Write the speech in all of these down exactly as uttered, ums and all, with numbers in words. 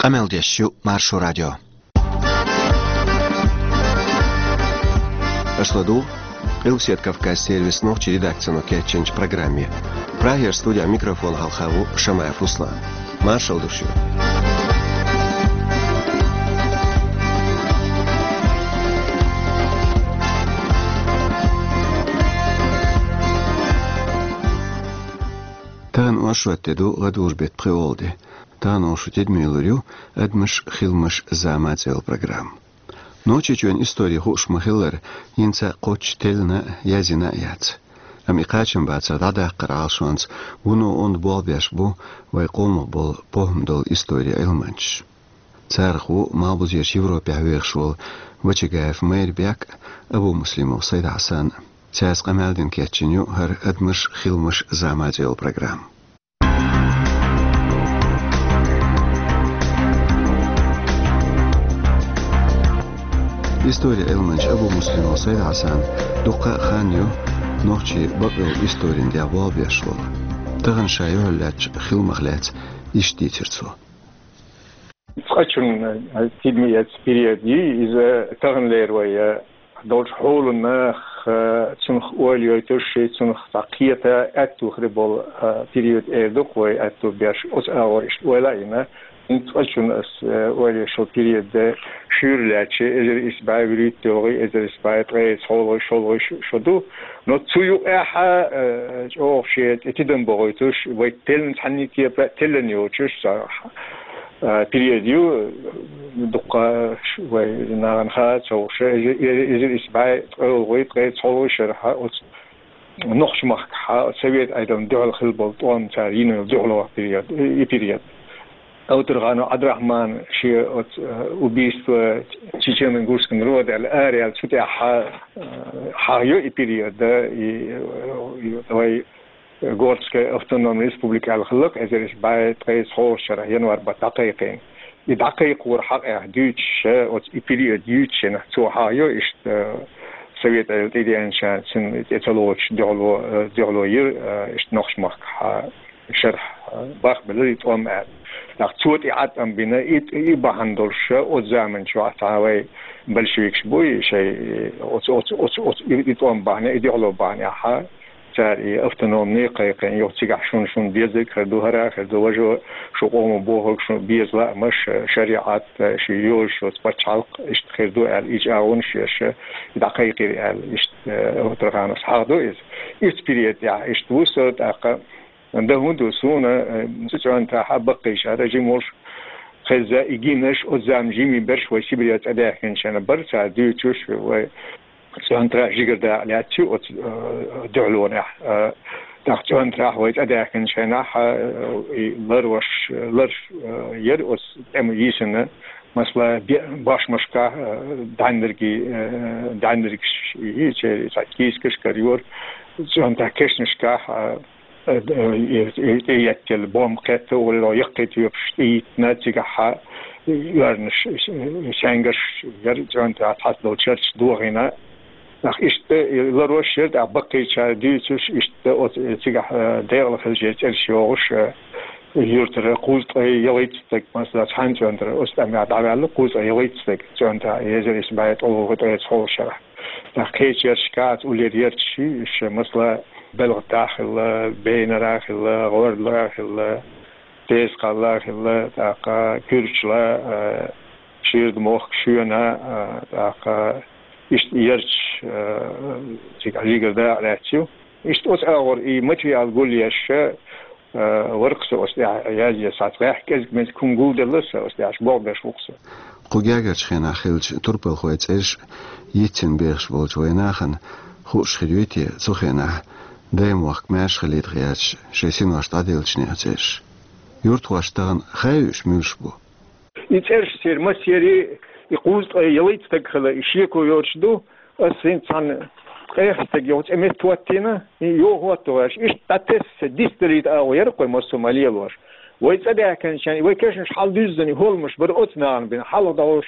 Къамел деш ю Маршо радио. Аша ладугӀу Къилбаседа Кавказан сервисан нохчийн редакцино кечйинчу программе. Прагера студин микрофона хьалха ву Шамаев Руслан. Маршалла ду шуьга. Тахана оршот де ду, ладугӀург беттан пхи ола де. Тахана оха шун тидаме лур ю «Адамаш, хиламаш, зама» цӀе йолу программа. Нохчийчоьнан истори хууш ма-хиллара, хӀинца кхоччуш теллина а, яздина а яц. Амма и кхачам бацара дӀадаккхаран Ӏалашонца вуно онда болх беш бу вайн къомах болу похӀма долу историн Ӏилманчаш. Царах ву Малхбузерчу Европехь вехаш волу Вачагаев Майрбек а, Абумуслимов Сайд-Хьасан а. Цаьрца къамел дина кечйина ю хӀара «Адамаш, хиламаш, зама» цӀе йолу программа. Историн Ӏилманча Абумуслимов Сайд-Хьасан дуккха а хан ю нохчийн бакъйолу историн тӀехь болх беш волу. Тахана ша юьхьарлаьцначу хиламах лаьцна иштта дийцира цо. Цкъачунна, э, тидаме эцна период ю иза, таханлера вай, э, долчу хьоланах, э, цунах ойла йойтуш, цунах цхьа кхета аьтту хир болу, э, период эр ду-кх вай, аьтту беш, оцу агӀор иштта ойла а йина, хӀинца цкъачунна ас, э, ойла йеш йолу период, э, шуьйра лаьцча, эзар исс бӀе вуьрхӀитта йолгӀий, эзар исс бӀе ткъе цхьолгӀий, шолгӀий шу, шу ду. Но цу юкъехь а, э, чӀогӀа шен тӀе тидам бохуьйтуш, вай теллина цхьанна кепара а теллина йоцуш, цхьа, э, период ю, дуккха ш-, вай нахана хаа ца хууш, эзар, эзар исс бӀе ткъолгӀий, ткъе цхьолгӀий шарахь оцу нохчийн махкахь, оцу Совет Ӏедална дуьхьал хилла болу тӀом, цара йина йолу дуьхьало период, и период. Авторханов Ӏабдрахьман шен оцу, э, «Убийство чечено-ингушского народа» аьлла, араяьлла, цу тӀехь, э, хьахайо и период, да, и, э, и вай Горская автономная республика аьлла хилла-кх, эзар исс бӀе ткъе цхьолгӀачу шарахь январь баттахь дӀакхайкхийна. И дӀакхайкхоран хьокъехь дуьйцуш, оцу и период юьйцуш, цо хьахайо иштта, э, Совет Ӏедал тӀедеанчарна цунна тӀе ца лоцуш дуьхьало, э, дуьхьало йира, э, иштта нохчийн махкахь шарахь, э, бахбелира и тӀом аьлла. ТӀаккха цо тӀе Ӏад тӀом бина, и, и бахьана долуш, оцу заманчохь цхьа вай большевикаш буй шайн, оцу, оцу, оцу, оцу и, и тӀом бахьанехь, и дуьхьало бахьанехь, цара и автономни кхайкхийна, юха цигахь шуна, шуна безарг хир ду, хӀара хир ду, важа, шун къомо бохург шуна беза лаамаш, шариӀат, шен йозуш йоцу пачхьалкх, иштта хир ду аьлла, и чӀагӀонаш еш, и дӀакхайкхийра аьлла, иштта, э, Авторхановс хьахадо иза. Итт период тӀехь иштта ву со, тӀаккха дан хӀун ду суна, э, цу цӀоьнтахь баккхийчара жима волуш хезна, и гинарш, оцу заманахь жимий берш вай Сибрех цӀа даьхкинчарна бара, цара дуьйцуш, вай цӀоьнтарахь жигара дакъа лаьцна ю оцу, э, дуьхьалонехь. Э, тӀаккха цӀоьнтарахь вай цӀа даьхкинчу хенахь, э, и ларваш, ларш, э, яра оцу тӀема йийсина, масала, бе-, бошмашкахь, э, дӀаьннаргий, э, дӀаьннаргаш йийцира, цхьа кийсакаш карайора, цӀоьнтахь кешнашкахь, э, э, э, э, тӀееттелла бомба кхетта, улло яккхий тоьпаш тӀеиттина, цигахь оьрнаш, э, саьнгарш яра, цӀоьнтарахь цхьацца долу чарташ дохийна. Нах иштта, э, ларваш яра, тӀаккха баккхийчара дуьйцуш, иштта оцу, э, цигахь, э, декъала хилча цӀераш йогӀуш, э, юьртара кхузткъе ялхитта стаг, масала, цхьана цӀоьнтара оцу тӀамехь дӀаваьлла, кхузткъе ялхитта стаг цӀоьнтахь, эзар исс бӀе ткъолгӀа, ткъе цхьолгӀачу шарахь. Нах кхечу ярташкахь, уллера ярташ ю, уьш, масала, Белхатахь хилла, Бейнара хилла, ГӀордалара хилла, Тезакхалла хилла, тӀаккха Куьрчла, э, Ширда-Мохк, Шоьна, э, тӀаккха иштта ярташ, э, цигахь жигара дакъа лаьцна ю. Иштта оцу агӀор и материал гулъеш, э, вара-кх со оцу тӀехь язъеш, цхьацца гӀеххьа кӀезиг-мезиг хӀума гулделла сан, оцу тӀехь болх беш ву-кх со. Кху гергарчу хенахь хиллачу турпалхойн цӀераш йицъина бехаш болчу вайн нахана хууш хир юй те цу хенахь, даймохк маьрша хилийта гӀерташ, шайн синош дӀаделлачу нехан цӀераш? Юьртахошна тахана хаьий уьш муьлш бу? И цӀераш церан массеран, и кхузткъе ялхитта стаг хилла, и шеко йоцуш ду, ас хӀинца цхьана ткъех стаг йолчу цӀе метта хӀоттийна, и йо хӀотто гӀерташ, иштта дӀатесса дицдалийта агӀо яра-кх вай массо а ма лелош. Вай цӀа даьхкинчу хенахь, вай кешнаш хьалдуьззина хӀолламаш бара оцу нахана бина, хьалха дӀахьош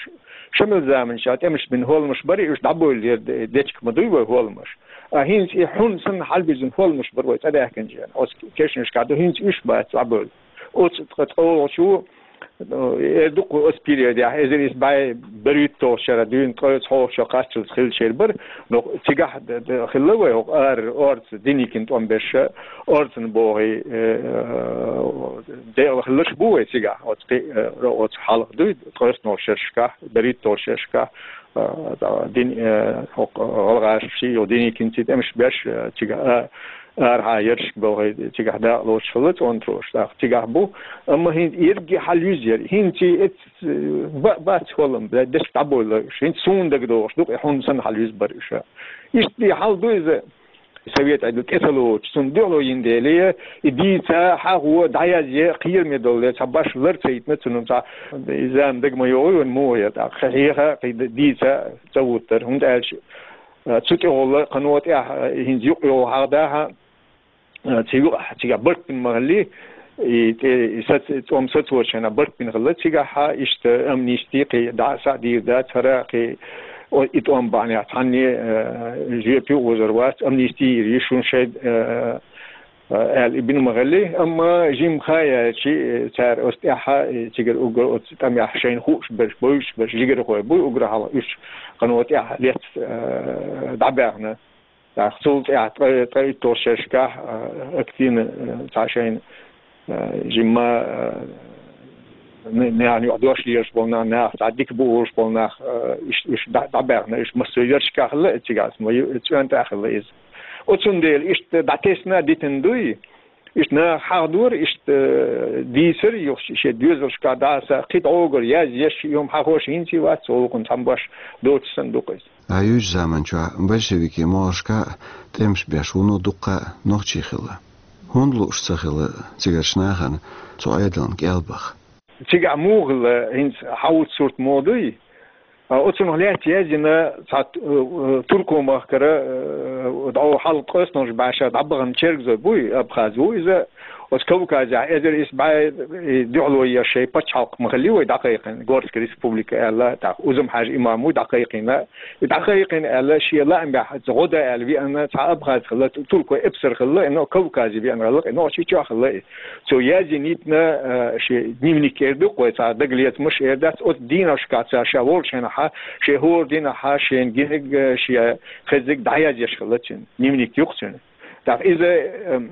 шамил заманчохь тӀемаш бина хӀолламаш бара, и уьш дӀабевлла яра де-, дечиг ма дуй вай хӀолламаш. А хӀинца и хьун санна хьалбирзина хӀолламаш бара вай цӀа даьхкинчу хенахь, оцу кешнашкахь ду, хӀинца уьш бац дӀабевлла. Оцу ткъа цӀолгӀачу Ну, э, дукха оцу периодехь, эзар исс бӀе берхӀитталгӀачу шарахь дуьйна ткъе цхьоьца кхаччалц хилла шер бара, но цигахь д-, д-, хилла вай хӀокху ара, орца Деникин тӀом беш, орцан бохий, э, декъала хилларш бу вай цигахь, оцу кхи-, э, оцу хьалха дуй, ткъе цхьоьца шерашкахь, берхӀитталгӀачу шерашкахь, э, дин-, э, хӀокху гӀалгӀашкахь шиъ йолу Деникинций тӀемаш беш, э, цигахь, а, арахьа яршка бохий, цигахь дакъа лоцуш хилла цӀонтароша, тӀаккха цигахь бу. Амма хӀинца ерриге хьалаюьзу яра. ХӀинца и эц-, ба-, бац хӀоллам, бля, дешка дӀабойла, хӀинца суна дагадогӀуш ду-кх, и хьуна санна хьалаюьзу бара уьш. Иштта и хьал ду иза, совет Ӏедал тӀе ца лоцуш, цунна дуьхьало йина дела, и дийца, хьахо, дӀаязъе, кхераме долу, цхьа баш лар ца йитина цунна, цхьа, и зама дага ма йогӀий вайн муха яра, тӀаккха хьеха, кхин дийца ца вуттара, хӀунда аьлча, цу тӀехула кхано тӀехь, хӀинца юкъа йогӀу хьагӀ дахьа, а, цигахь, цигахь барт бина ма-хиллий, и тӀе, и сац-, цӀом сацочу хенахь барт бина хилла цигахь, иштта амнисти кхин дӀа а схьа дийр дац, хӀара кхин, о, и тӀом бахьанехь цхьанне, а, жоьпе а озор вац, амнисти йийр ю шуна шайн, а, а, аьлла, и бина ма-хиллий. Амма жимма хан яьлча, цара оцу тӀаьхьа, и цигара уггар оцу тӀамехь шайна хууш берш, бовзуш берш, жигархой буй уггар хьалха уьш кхано тӀаьхьа лецна, а, дӀабаьхна. ТӀаккха цул тӀаьхьа ткъе, ткъе итталгӀачу шерашкахь, а, активно, а, цхьа шайна, а, жимма, а, н-, наьхна юкъа дош лелаш болу нах, наха цхьа дика бу олуш болу нах, а, иш-, уьш дӀа-, дӀабаьхна, уьш массо а яршкахь хилла, цигахь ма ю-, цӀоьнтӀа а хилла иза. Оцундела иштта дӀатесна а дитина дуй, иштта наха хьахдора, иштта, а, дийцар, юха шен доьзалшкахь дӀаса, кхин дӀогара язъеш, и хӀума хьахош хӀинца а вац, цу гӀуллакхна цхьамма баш доцуш санна ду-кх иза. Ӏаюьйчу заман чохь большевикийн могӀаршкахь тӀемаш беш вуно дуккха а нохчий хилла. ХӀунда лууш ца хилла цигарчу нахана цу Ӏедална кӀел баха? Цигахь муха хилла, хӀинца хьан вуьту сурт муха дуй? А, оцунах лаьцна язйина цхьа, э, э, Турко-махкара, э, дӀо хьалха ткъоьснаш баьша дӀабахана чергазой буй, абхаз ву иза, оцу Кавказехь эзар исс бӀе, э, дуьхьало еш шайн пачхьалкх ма-хиллий вай дӀакхайкхина, Горская республика аьлла, тӀаккха Узум-Хьаьжа имам ву дӀакхайкхина, и дӀакхайкхина аьлла, шен лаамехь гӀо дан аьлла веана цхьа абхаз хилла, ту-, туркой эпсар хилла, и но Кавказе веана хилла, и Нохчийчохь хилла и. Цо язйина йитина, а, шен дневник эр ду-кх вай, цхьа дагалецамаш эр дац, оцу дийнашкахь цара ша волчу хенахьа, шен хӀора дийнахьа, шена гинарг, а, шен хезнарг дӀаязъеш хилла цуьнан, дневник ю-кх цуьнан. ТӀаккха иза, ам,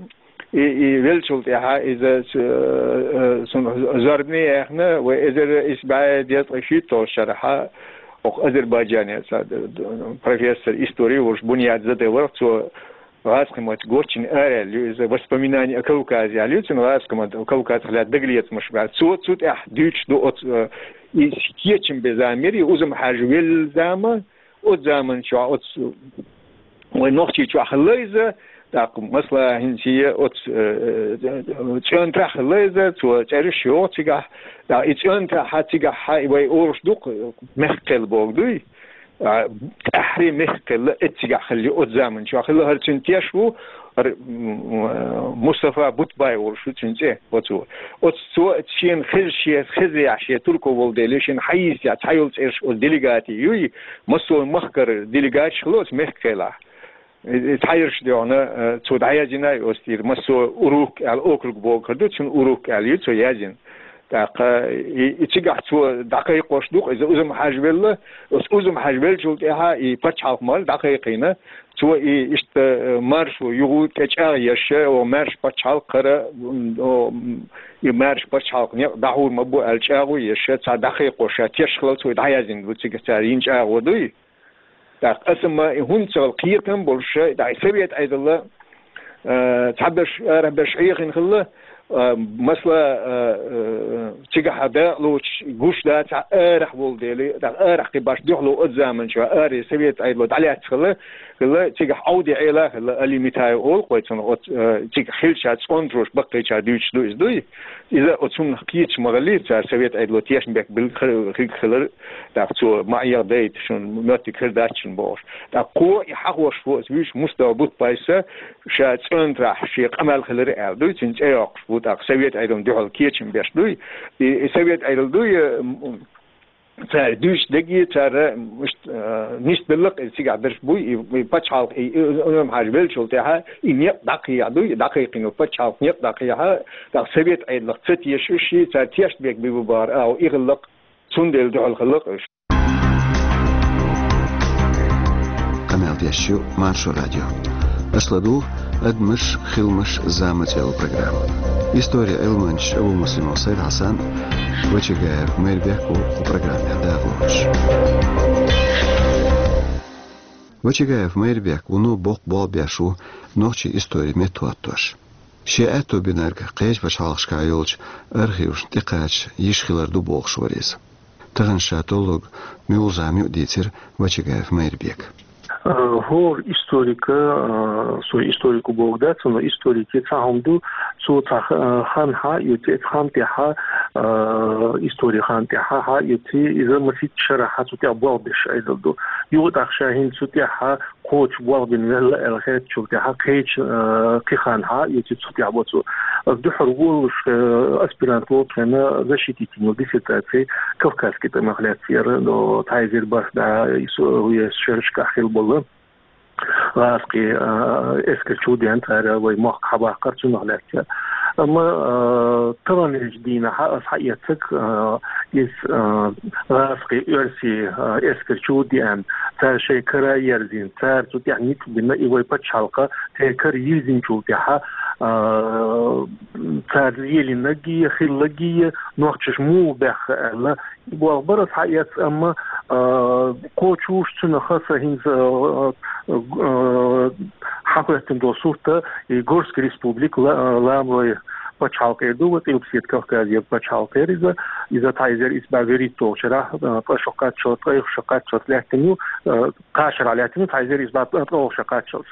и, и веллачул тӀаьхьа иза ц-, э, э, цунах зорбане яьхна, вай эзар исс бӀе дезткъе шийтталгӀачу шарахьа, окху Азербайджане цхьа д-, д-, профессор истории волуш Буньяд Заде вара, цо гӀазкхийн маттахь гочйина араяьлла ю иза, «Воспоминания о Кавказе» аьлла ю цуьнан, гӀазкхийн маттахь Кавказах лаьцна дагалецамаш баьлла. Цо цу тӀехь дуьйцуш ду оцу, э, и кечам бен зама яра, и Узум-Хьаьжа велла зама, оцу заман чохь оцу вай Нохчийчохь хилла иза, тӀаккха, масала, хӀинца оцу, э, э, цӀоьнтарахь хилла иза, цо цӀераш йоху цигахь, тӀаккха и цӀоьнтарахьа цигахьа и вай олуш ду-кх, мехкан кхел бохург дуй, а, тӀаьххьара мехкан кхел а эццигахь хилла ю оцу заман чохь хилла, хӀара цуьнан теш ву, хӀара, м, м, Мустафа Бутбай олуш ву цуьнан цӀе, оцо. Оцу цо шена хеза, шен хезарехь, шен турко волу дела, шена хьан йийсехь цхьа йолу цӀераш оцу делегатийн юй, массо а махкара делегаташ хилла оцу мехкан кхелахь. И, и цхьаерш а дуьхьал, э, цо дӀаязйина и оцу тӀера, массо а Урук аьлла округ бохург ду, цуьнан Урук аьлла ю цо язйина. ТӀаккха и, и цигахь цо дӀакхайкхош ду-кх иза Узум-Хьаьжа велла, оцу Узум-Хьаьжа веллачул тӀаьхьа и пачхьалкх ма-, дӀакхайкхийна, цо и иштта, э, маршо юха тӀе чӀагӀъеш, о, маьрша пачхьалкх хӀара, м, о, м, и маьрша пачхьалкх некъ дӀахьур ма бу аьлла чӀагӀо еш, цхьа дӀакхайкхош, ша теш хилла цо и дӀаяздина ду цига цара йина чӀагӀо дуй. ТӀаккха аса ма и хӀунда ца хилла кхетам болуш, тӀаккха и совет Ӏедал, э, цхьаберш, арахьберш хьехина хилла, э, масала, э, э, цигахь дакъа лоцуш гуш дац, цхьа арахь волу дела, тӀаккха арахь кхин баш дуьхьало оцу заман чохь, аре совет Ӏедало дӀалаьцна хилла, хилла, цигахь Ӏовди Ӏела хилла, Али Митаев олу-кх вай цунах, оцу, э, цигахь хилча цӀонтароша баккхийчара дуьйцуш ду иза дуй. Иза оцунах кхеташ ма-хиллий, цара совет Ӏедало тешнабехк билла хи-, хиг хилар, тӀаккха цо ма Ӏеха дайта шуна, моьттиг хир дац шуна бохуш. ТӀаккха кхо и хьахош ву аса вуьйш Мустафа Бутбайса ша цӀоьнтарахь шен къамел хилар аьлла дуй, цуьнан цӀе йоккхуш ву, тӀаккха совет Ӏедална дуьхьал кечам беш дуй. И, и совет Ӏедал дуй, э, м-, цара дуьйцу дерриге, цара, иштта, а, нисбелла-кх иза, цигахь берш буй, и, и пачхьалкх, и, и, и Ӏумар-Хьаьжа веллачул тӀаьхьа, и некъ дӀакхехьа дуй, и дӀакхайкхина пачхьалкх некъ дӀакхехьа, тӀаккха совет Ӏедалх ца тешаш уьш, цара тешнабехк бу бахара агӀо и хилла-кх, цундела дуьхьал хилла-кх уьш. Къамел деш ю Маршо радио. Аша ладугӀу «Адамаш, хиламаш, зама» цӀе йолу программа. Историн Ӏилманчаш Абумуслимов Сайд-Хьасан а, Вачагаев Майрбек а ву кху программехь дакъалоцуш. Вачагаев Майрбек вуно боккха болх беш ву нохчийн историн меттахӀоттош. Шен аьтто бинарг кхечу пачхьалкхашкахь йолчу архивашна тӀекхача йиш хилар ду бохуш вара иза. Тахана ша толлург муьлха зама ю а дийцира Вачагаев Майрбека. Э, хӀора историка, э, со историк ву бохург дац, но историке цхьа хӀума ду, цо цхьа х-, э, хан хьа а оьций, цу хан тӀехь, э, историн хан тӀехь хьа а оьций, иза масийтта шарахь цу тӀехь болх беш Ӏедал ду. Юха тӀаккха ша хӀинца цу тӀехь кхочуш болх бина велла аьлла хеттачул тӀаьхьа кхечу, э, кхин хан хьа а оьций, цу тӀехь бо цо. Аса дуьххьара волуш, э, аспирант волчу хенахь защитить йина диссертаци кавказский тӀамах лаьцна яра, но цхьа эзар бархӀ бӀе исс, э, шерашкахь хилла болу гӀазкхийн, э, эскар чу деана, цара вай мохк хьабаккхар, цунах лаьцна яра. Амма, э, таханлерчу дийнахь аса хьаэцнарг, э, иза, э, гӀазкхийн, оьрсийн, э, эскар чу деана, цара шайн кара ерзийна, цара цу тӀехь ницкъ бина, и вай пачхьалкх церан кара йирзинчул тӀаьхьа, э, цара лелийнарг а, хилларг а, нохчаша муха баьхна аьлла, и болх бара аса хьаэцна, амма, э, кхочуш цунах аса хӀинца, э, э, хьахӀоьттина долу сурт, и Горский республика ла-, ламрой пачхьалкх эр ду, вай Къилбаседа Кавказера пачхьалкх эр иза. Иза цхьа эзар исс бӀе вуьрхӀитталгӀачу шарахь, э, ткъа шо кхаччалц, ткъе ша кхаччалц лаьттина ю, э, кхаа шарахь лаьттина ю, цхьа эзар исс бӀе ткъолгӀа ша кхаччалц.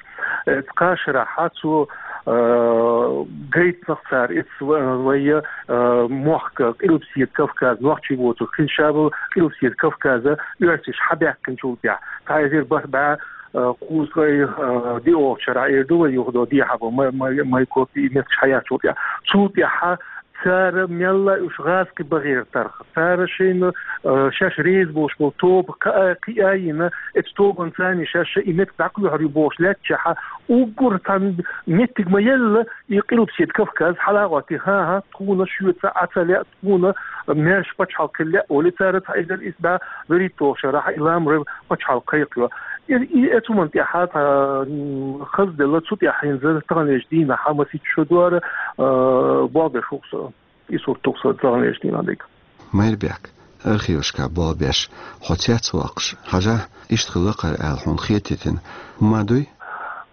Э, кхаа шарахь цо, э, гайтинарг цара, иза ва-, вай, э, мохк, Къилбаседа Кавказ, нохчий воцург хилча а, Къилбаседа Кавказан оьрсаша хьабаьккхинчул тӀаьхьа, цхьа эзар бархӀ бӀе, э, кхузткъе, э, диъолгӀачу шарахь эр ду вай юха, дехьа бо, май, май, май копи и меттигаш хьаяьллачул тӀаьхьа. Цул тӀаьхьа цара мелла а уьш гӀазкхий бахьера тарх, цара шайна, э, шаьш реза болуш болу тоба кхиа-, кхиийна, оцу тобанца шаьш и меттиг дӀакхоьхьур ю бохуш лаьттачехь, уггар цхьа меттиг ма елла, и Къилбаседа Кавказ хьалагӀоттий, хӀан-хӀа, тхуна шуьца Ӏа ца лаьа, тхуна маьрша пачхьалкх хила лаьа олий, цара цхьа эзар исс бӀе вуьрхӀитталгӀачу шарахь и ламрой пачхьалкх кхайкхайо. И, и, оцу хӀуманна тӀехь цхьа, м, хазделла, цу тӀехь хӀинца таханлерчу дийнахь масийтта шо дара, э, болх беш ву-кх со. И сурт ду-кх сан таханлерчу дийнахь дерг. Майрбек, архивашкахь болх беш, хьо цец воккхуш, хьажахь, иштта хилла-кх хӀара аьлла хьуна хетийтина хӀума дуй?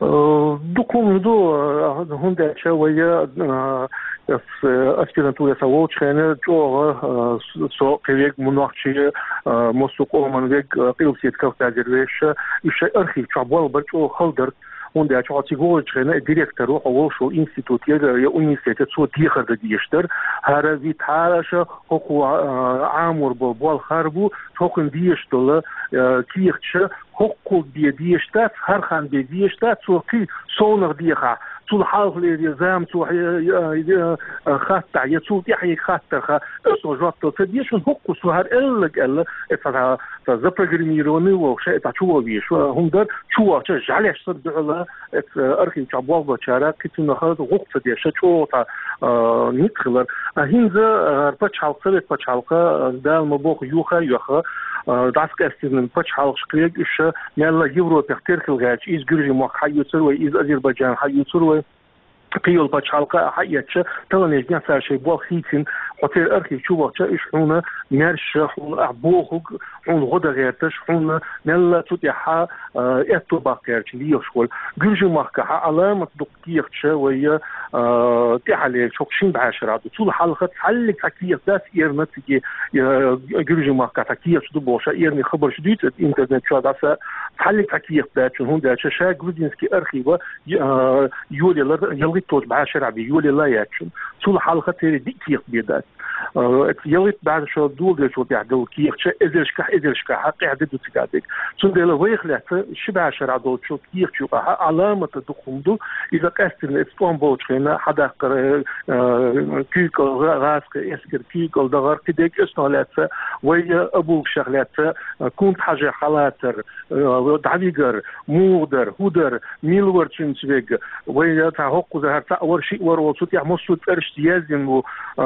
Э, дукха хӀума ду, э, хӀунда аьлча вай, э, ас-, э, аспирантуре сан волчу хенахь чӀогӀа, э, с-, со кхин верг, муьлххачу, э, массо а къоман верг, э, Къилбаседа Кавказера вешан, уьш шайн архив чохь болх бар чӀогӀа хала дара. ХӀунда аьлча хьо цига вогӀучу хенахь директор ву, хьо волуш волу институтера я университетера, цо дехар дан дезаш дара. ХӀара витахь аша хӀокхо, а, Ӏамор болу болх хӀара бу, хӀокхуьнан дезаш долу, а, кехаташ хӀокхул бен дезаш дац, хӀара хан бен дезаш дац, цо кхин совнах дехахь. Цул хьалхалера зама цо, а, а, а, хаттахь, я цул тӀаьхьа хаттарх, аса жоп дала ца дезаш, хӀунда хӀокхо цо хӀара аьлларг аьлла, и цхьа, цхьа запрограммированный волуш, и цхьа чу ван везаш, хӀума дара, чу вахча жӀаьлеш санна дуьхьала, Эцу архив чохь болх бечара кхин цунах гӀуллакх ца деш, чӀогӀа цхьа, а, ницкъ хилар. А хӀинца, а, пачхьалкх, совет пачхьалкх, а, Дала ма бохху, юха а йоьхна, а, дӀасакъаьстина пачхьалкхаш кхин уьш мелла Европехь теркал гӀерташ, иза Гуьржийн мохк хьаоьцур вай, иза Азербайджан хьаоьцур вай. Кхин йолу пачхьалкх а хьаэцча, таханлерчу дийнахь цара шайн болх хийцина, хьо церан архив чу вахча, уьш хьуна маьрша, хьуна ахь бохург, хьуна гӀо дан гӀерташ, хьуна мелла цу тӀехь, а, аьтто баккха гӀерташ лелаш волу. Гуьржийн махкахь Ӏаламат дукха кехаташ вай, а, тӀаьхьалерчу хӀокху шина бӀешарахь ду. Цул хьалха цхьаллиг цхьа кехат дац эрна цига, а, Гуьржийн махкахь цхьа кехаташ ду бохуш, эрна хабарш дуьйцу интернет чохь дӀаса, цхьаллиг цхьа кехат дац, хӀунда аьлча ша грузинский архив, а, йолаелла, ялхитталгӀачу бӀешарахь бен йолаелла яц. Цул хьалха церан диъ кехат бен дац. Э, это ялхитта бӀаь шо доладелчул тӀехьа дола кехаташ эзарашкахь, эзарашкахь къаьхьа де ду цига дег. Цундела вайх лаьцна ши бӀаь шера долчу кехаташ юкъахь Ӏаламат дукха хӀума ду. Иза къаьстина эцу тӀом болчу хенахь хьадаккхар, э, куьйгалла, гӀа-, гӀазкхийн эскар куьйгалла дахар, кхидерг оьцунах лаьцна, вай, э, Абулгашех лаьцна, э, Кунта-Хьажех хьалацар, э, дӀавигар, муха дар, хӀун дар, мила вара цуьнца верг, вай, э, цхьа хӀокхузахь цхьаъ вара, шиъ вара олу, цу тӀехь массо а цӀерашца яздина ву, э,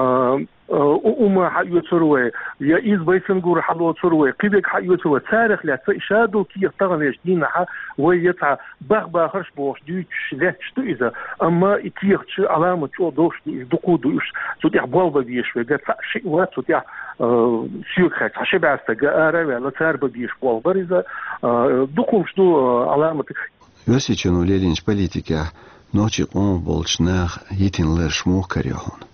э, у-, ума хьаоьцур вай, я иза вай санна гур хьалоцур вай, кхин верг хьаоьцур вай. Царах лаьцна и шадолу кехат таханлерчу дийнахь вай я цхьа бах-бахарш бохуш дуьйцуш лаьтташ ду иза, амма и кехаташ Ӏаламат чӀогӀа долуш ду, иза дукха ду уьш, цу тӀехь болх бан безаш верг цхьаъ-шиъ вац цу тӀехь, э, соьга хаьттича, цхьа ши бӀе стаг ара а ваьлла, цара бан безаш болх бара иза, э, дукха хӀумаш ду, э, Ӏаламат. Оьрсийчоьно лелийначу политикехь нохчийн къомах болчу наха йитина лараш муха карайо хьуна?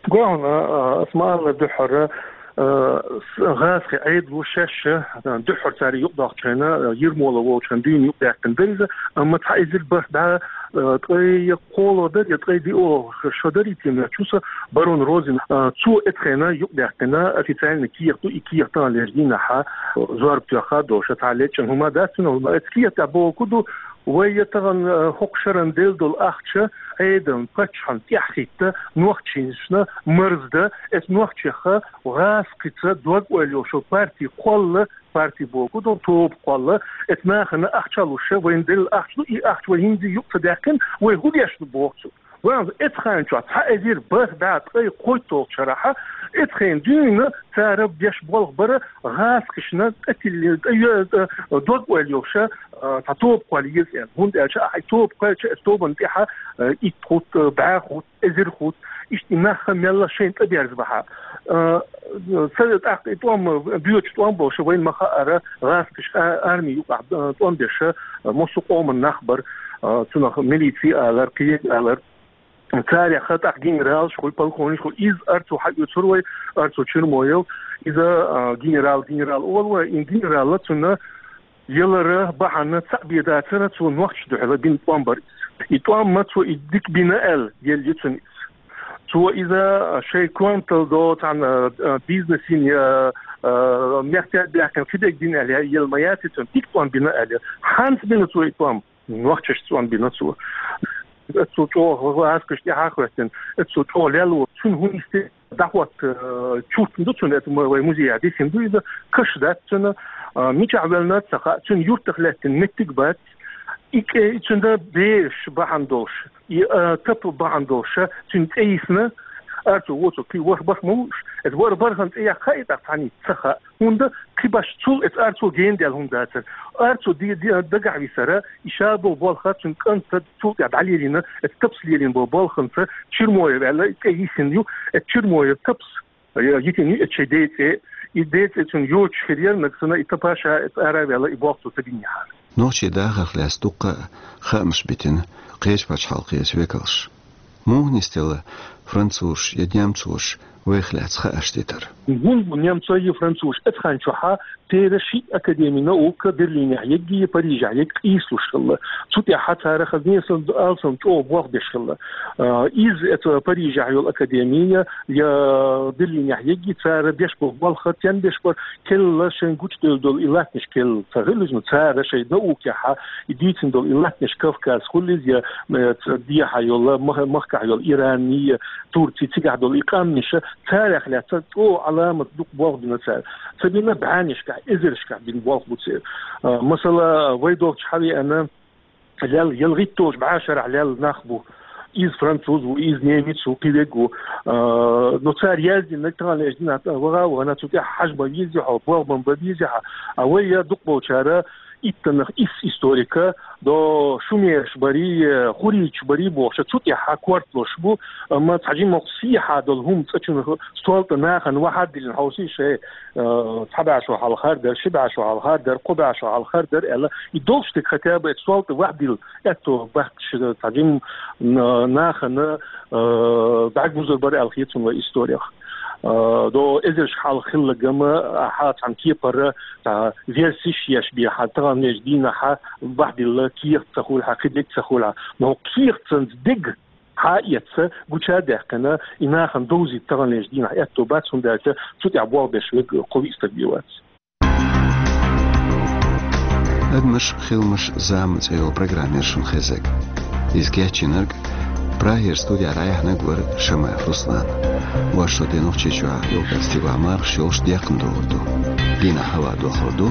Гой хьуна, а, ас ма-аллара дуьххьара, а, с-, гӀазкхийн Ӏедало шаьш, а, дуьххьара цара юкъадоккхучу хенахь, а, Ермолов волчу хенахь дуьйна юкъадаьккхина дара иза, амма цхьа эзар бархӀ бӀе, а, ткъе кхоалгӀа дара, я ткъе диъалгӀа шо дара и тема чу, со Барон Розин, а, цо эцу хенахь юкъадаьккхина официальный кехат ду, и кехат таханлерчу дийнахь, а, зорба тоьхна долуш, цхьа лечкъина хӀума дац цуьнан, хӀума. Эцу кехатехь бохург ду, вай я тахана, э, хӀокху шарна делла долу ахча Ӏедална, паччахьна тӀаьхьахӀитта, нохчашна марздан, эцу нохчех гӀазкхица дог-ойла йолуш йолу парти кхолла, парти бохург ду, тоба кхолла, эцу нахана ахча луш, вайна делла ахча ду, и ахча вай хӀинца юкъа ца даьккхина, вай хӀун деш ду боху цо. Вайн эцу хенахь чохь цхьа эзар бархӀ бӀе ткъе кхойтталгӀачу шарахь, эцу хенахь дуьйна цара беш болх бара гӀазкхашна тӀе тилли, тӀе йо-, тӀе дог-ойла йолуш, а, цхьа тоба кхолла еза аьлла. ХӀунда аьлча ахь и тоба кхоьллича, эцу тобанна тӀехь, а, итт хӀутту, бӀе хӀутту, эзар хӀутту, иштта и нах мелла шайна тӀе берзабахь. А, са тӀаккха и тӀом, боьдуш тӀом болуш, вайна ма-хаъара, гӀазкхаша а-, арми юкъахь, а, тӀом беш, а, массо а къоман нах бара, а, цунах милици алар, кхин алар. Царех тӀаккха генералш хуьлу, полковникаш хуьлу. Иза Арцу хьаоьцур вай, Арцу Чермоев. Иза, а, генерал, генерал олу вай. И генерал цунна ялара бахьана цхьаъ бен дацара, цо нохчашна дуьхьал бина тӀом бара иза. И тӀом ма цо и дика бина аьлла, елла ю цунна иза. Цо иза шайн контал до цхьана, а, бизнесийн я, а, мехкдаьтта баьккхина кхидерг бина аьлла, елла ма яц и цунна, дика тӀом бина аьлла. ХӀанца бина цо и тӀом? Нохчашца тӀом бина цо. Эцу чӀогӀа гӀазкхаша тӀаьхьа а хӀоьттина, эцу чӀогӀа лелла ву. Цуьнан хӀун йисте дӀахӀотта, э, чуртан ду цуьнан, эцу ма-, вай музейхь дисина ду иза, каш дац цуьнан, а, мичахь велларг ца хаьа, цуьнан юьртах лаьттина меттиг бац, и кӀе-, и цуьнан бераш бахьана долуш, и, а, тап бахьана долуш, цуьнан цӀе йисна, Арцу воцург кхин ворхӀ бархӀ ма ву уьш. Эцу ворхӀ бархӀан цӀе яккха хаьий тӀаккха цхьаннийца? Ца хаьа. ХӀунда кхин баш цул эцу Арцу гена даьлла хӀума дацара. Арцу де-, де-, дагахь висара, и ша болу болх цуьнан кӀанта цул тӀаьхьа дӀалелийна, эцу тапас лелийна болу болханца Чермоев аьлла, и цӀе йисина ю, эцу Чермоев тапас, э, йитина ю эцу шайн ден цӀе. И ден цӀе цуьнан йоцуш хир яра, нагахь санна и тапа ша эцу ара а ваьлла, и болх цо ца бинехьара. Нохчийн дахарх лаьцна дуккха а хаамаш битина кхечу пачхьалкхийн векалша. Муха нисделла французаш я немцош вайх лаьцна хаарш дитар? ХӀунда бу немцой я французаш эцу хенчохь церан ши академи наука Берлинехь егги, Парижехь егги къийсалуш хилла. Цу тӀехь цара хазне сан алсам чӀогӀа болх беш хилла. А, иза эцу Парижехь йолу академи я Берлинехь егги, цара беш болу болх тен беш бара, керла шайн гучудевлла долу и латтанаш керла ца хилла, ну, цара шайн наукехь и дуьйцина долу и латтанаш Кавказ хуьлийла, я, э, ца-, дехьа йолу, мах-, махкахь йолу Иран, я Турци, цигахь долу и къаьмнаш, царах лаьцна чӀогӀа Ӏаламат дукха болх бина цара. Ца бина бӀеннашкахь, эзаршкахь бина болх бу церан. А, масала, вай долчу хьавеана, лел, ялхитталгӀачу бӀешарахь лел нах бу. Иза француз ву, иза немец ву, кхин верг ву. А, ну, цара яздинарг таханлерчу дийнахь ваха а вахана, цу тӀехь хьажа ма веза хьо, болх бан ма беза хьо. А вай я дукхахболчара иттаннах исс историка, до шумераш барий, хурриташ барий бохуш, цу тӀехь корталуш бу, амма цхьа жимма сехьа долу хӀума цӀа чу стол тӀе нахана вахьар диллина хьовсий шайн, а, цхьа бӀе шо хьалха дара, ши бӀе шо хьалха дара, кхо бӀе шо хьалха дара аьлла, и долуш дерг хотя бы стол тӀе вахьдилла, аьтто бахкаш цхьа жимма на-, нахана, а, дӀагузур бара аьлла хета суна вай историх. А, до эзарш хьалха хилла гама, а, хьан цхьана кепара, цхьа версиш еш бен хьан таханлерчу дийнахь бахьдилла, кехат ца хуьлу хьан, кхин дерг ца хуьлу хьан. Но кехат санна дерг Хьаэца гучадаьккхина, и нахана довзийта таханлерча дийнахьа аьттув бац, хӀунда аьлча цу тӀехь болх беш верг кхо-виъ стаг бен вац. «Адамаш, хиламаш, зама» цӀе йолу программа яра шуна хезнарг. Иза кечйинарг, Прагера студехь дӀаяьхьнарг вара Шамаев Руслан. Вайша шо тӀе Нохчийчохь юкъара стигалахь мархаш йолуш декхна догӀур ду. Дийнахь хӀаваъ дохлур ду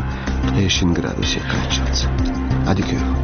ткъе шина градусе кхаччалц. Ӏадика йойла.